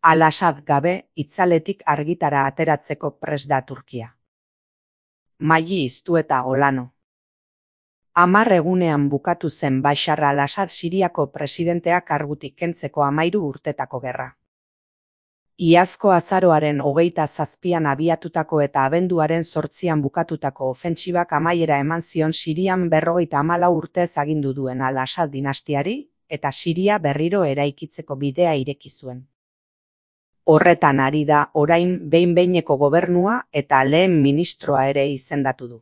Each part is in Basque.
Al-Assad gabe itzaletik argitara ateratzeko prest da Turkia. Maili iztu eta Olano. 10 egunean bukatu zen Bashar al-Assad Siriako presidentea kargutik kentzeko 13 urtetako gerra. Iazko azaroaren 27an abiatutako eta abenduaren 8an bukatutako ofentsibak amaiera eman zion Sirian 54 urtez agindu duen al-Assad dinastiari, eta Siria berriro eraikitzeko bidea ireki zuen. Horretan ari da orain behin-behineko gobernua eta lehen ministroa ere izendatu du.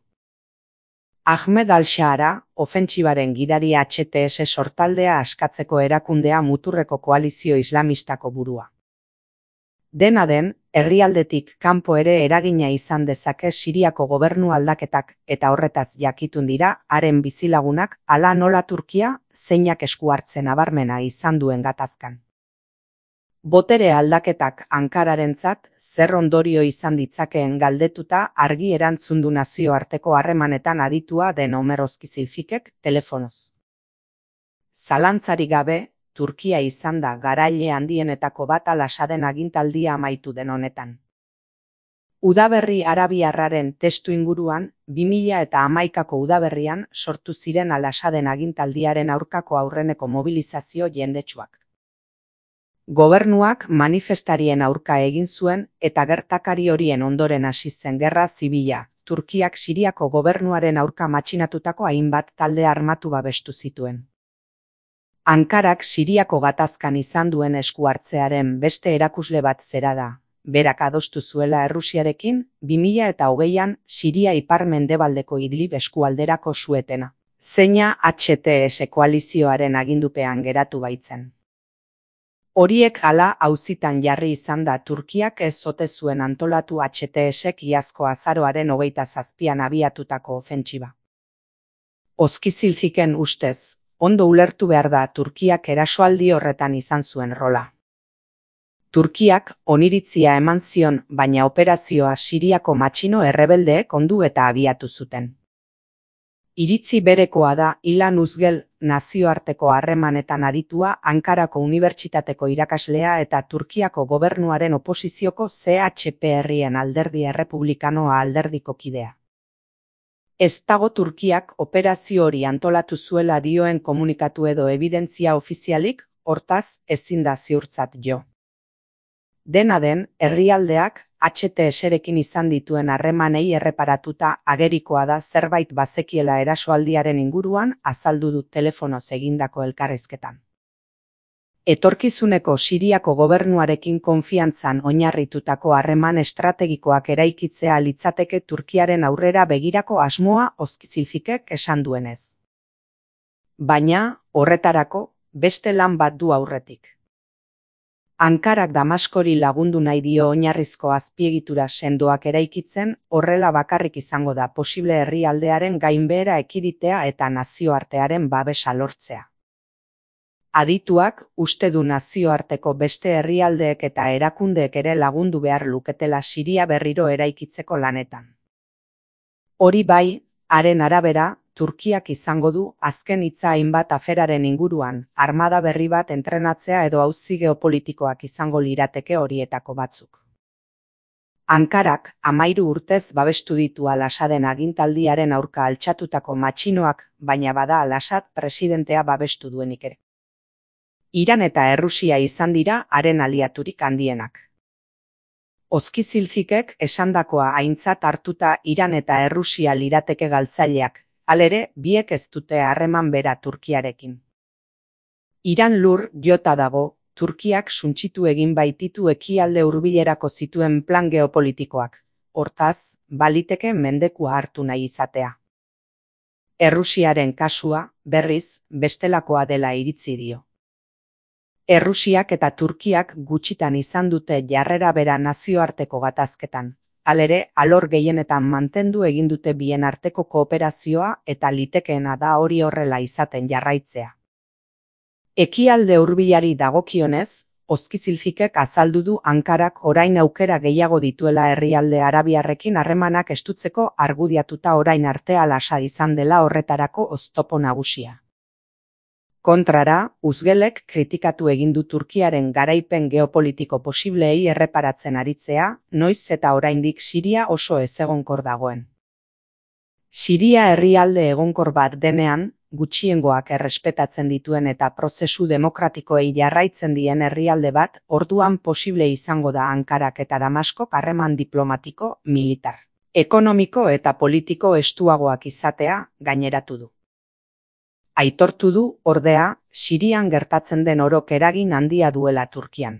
Ahmed al-Shara, ofentsibaren gidari HTS sortaldea askatzeko erakundea muturreko koalizio islamistako burua. Dena den, herrialdetik kanpo ere eragina izan dezake Siriako gobernu aldaketak eta horretaz jakitun dira haren bizilagunak hala nola Turkia zeinak esku hartzen nabarmena izan duen gatazkan. Botere aldaketak Ankararentzat zer ondorio izan ditzakeen galdetuta argi erantzun du nazioarteko harremanetan aditua den Omer Ozkizilfikek telefonoz. Zalantzarik gabe, Turkia izan da garaile handienetako bat al-Assaden agintaldia amaitu den honetan. Udaberri arabiarraren testu inguruan, 2011ko udaberrian sortu ziren al-Assaden agintaldiaren aurkako aurreneko mobilizazio jendetsuak. Gobernuak manifestarien aurka egin zuen eta gertakari horien ondoren hasi zen gerra zibila, Turkiak Siriako gobernuaren aurka matxinatutako hainbat talde armatu babestu zituen. Ankarak Siriako gatazkan izan duen esku hartzearen beste erakusle bat zera da, berak adostu zuela Errusiarekin 2020an Siria ipar-mendebaldeko Idlib eskualderako suetena, zeina HTS koalizioaren agindupean geratu baitzen. Horiek hala auzitan jarri izan da Turkiak ez ote zuen antolatu HTSek iazko azaroaren 27an abiatutako ofentsiba. Ozkizilfiken ustez, ondo ulertu behar da Turkiak erasoaldi horretan izan zuen rola. Turkiak oniritzia eman zion, baina operazioa Siriako matxino errebeldeek ondu eta abiatu zuten. Iritzi berekoa da Ilan Uzgel nazioarteko harremanetan aditua Ankarako Unibertsitateko irakaslea eta Turkiako gobernuaren oposizioko CHP-en alderdi errepublikanoa alderdiko kidea. Ez dago Turkiak operazio hori antolatu zuela dioen komunikatu edo ebidentzia ofizialik, hortaz ezin da ziurtzat jo. Dena den, herrialdeak HTS-rekin izan dituen harremanei erreparatuta agerikoa da zerbait bazekiela erasoaldiaren inguruan azaldu du telefonoz egindako elkarrizketan. Etorkizuneko Siriako gobernuarekin konfiantzan oinarritutako harreman estrategikoak eraikitzea litzateke Turkiaren aurrera begirako asmoa Ozkizilfikek esan duenez. Baina, horretarako, beste lan bat du aurretik. Ankarak Damaskori lagundu nahi dio oinarrizko azpiegitura sendoak eraikitzen, horrela bakarrik izango da posible herrialdearen gainbehera ekiditea eta nazioartearen babesa lortzea. Adituak uste du nazioarteko beste herrialdeek eta erakundeek ere lagundu behar luketela Siria berriro eraikitzeko lanetan. Hori bai, haren arabera, Turkiak izango du azken hitza hainbat aferaren inguruan, armada berri bat entrenatzea edo auzi geopolitikoak izango lirateke horietako batzuk. Ankarak 13 urtez babestu ditu al-Assaden agintaldiaren aurka altxatutako matxinoak, baina bada al-Assad presidentea babestu duenik ere. Iran eta Errusia izan dira haren aliaturik handienak. Ozkizilfikek esandakoa aintzat hartuta Iran eta Errusia lirateke galtzaileak, halere, biek ez dute harreman bera Turkiarekin. Iran lur jota dago, Turkiak suntsitu egin baititu ekialde hurbilerako zituen plan geopolitikoak, hortaz, baliteke mendekua hartu nahi izatea. Errusiaren kasua, berriz, bestelakoa dela iritzi dio. Errusiak eta Turkiak gutxitan izan dute jarrera bera nazioarteko gatazketan. Halere, alor gehienetan mantendu egin dute bien arteko kooperazioa eta litekeena da hori horrela izaten jarraitzea. Ekialde hurbilari dagokionez, Ozkizilfikek azaldu du Ankarak orain aukera gehiago dituela herrialde arabiarrekin harremanak estutzeko argudiatuta orain arte al-Assad izan dela horretarako oztopo nagusia. Kontrara, Uzgelek kritikatu egin du Turkiaren garaipen geopolitiko posibleei erreparatzen aritzea, noiz eta oraindik Siria oso ezegonkor dagoen. Siria herrialde egonkor bat denean, gutxiengoak errespetatzen dituen eta prozesu demokratikoei jarraitzen dien herrialde bat, orduan posible izango da Ankarak eta Damaskok harreman diplomatiko, militar, ekonomiko eta politiko estuagoak izatea, gaineratu du. Aitortu du, ordea, Sirian gertatzen den orok eragin handia duela Turkian.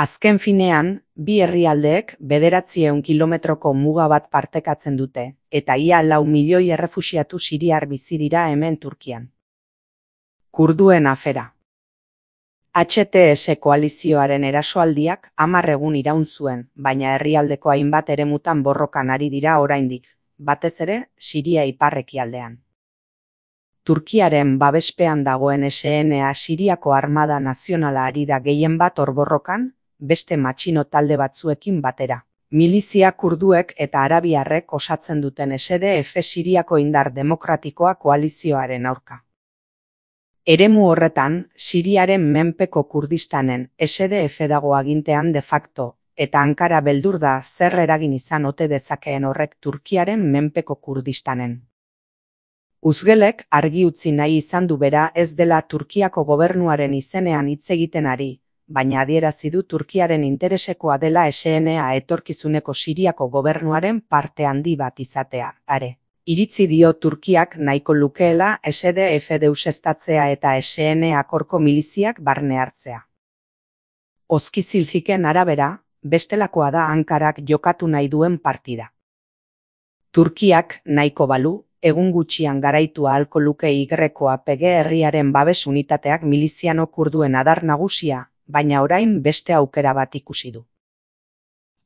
Azken finean, bi herrialdeek 900 kilometroko muga bat partekatzen dute, eta ia 4 milioi errefuxiatu siriar bizi dira hemen Turkian. Kurduen afera. HTS koalizioaren erasoaldiak 10 egun iraun zuen, baina herrialdeko hainbat eremutan borrokan ari dira oraindik, batez ere, Siria ipar-ekialdean. Turkiaren babespean dagoen SNA Siriako Armada Nazionala ari da gehien bat borrokan, beste matxino talde batzuekin batera. Milizia kurduek eta arabiarrek osatzen duten SDF Siriako indar demokratikoa koalizioaren aurka. Eremu horretan, Siriaren menpeko Kurdistanen SDF dago agintean de facto, eta Ankara beldur da zer eragin izan ote dezakeen horrek Turkiaren menpeko Kurdistanen. Uzgelek argi utzi nahi izan du bera ez dela Turkiako gobernuaren izenean hitz egiten ari, baina adierazi du Turkiaren interesekoa dela SNA etorkizuneko Siriako gobernuaren parte handi bat izatea, are. Iritzi dio Turkiak nahiko lukeela SDF deuseztatzea eta SNA korko miliziak barne hartzea. Ozkizilziken arabera, bestelakoa da Ankarak jokatu nahi duen partida. Turkiak nahiko balu, egun gutxian garaitu ahalko luke YPG herriaren babes unitateak miliziano kurduen adar nagusia, baina orain beste aukera bat ikusi du.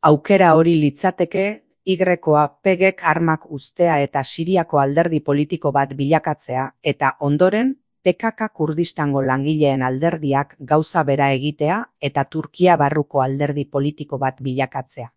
Aukera hori litzateke, YPGek armak uztea eta Siriako alderdi politiko bat bilakatzea, eta ondoren, PKK Kurdistango langileen alderdiak gauza bera egitea eta Turkia barruko alderdi politiko bat bilakatzea.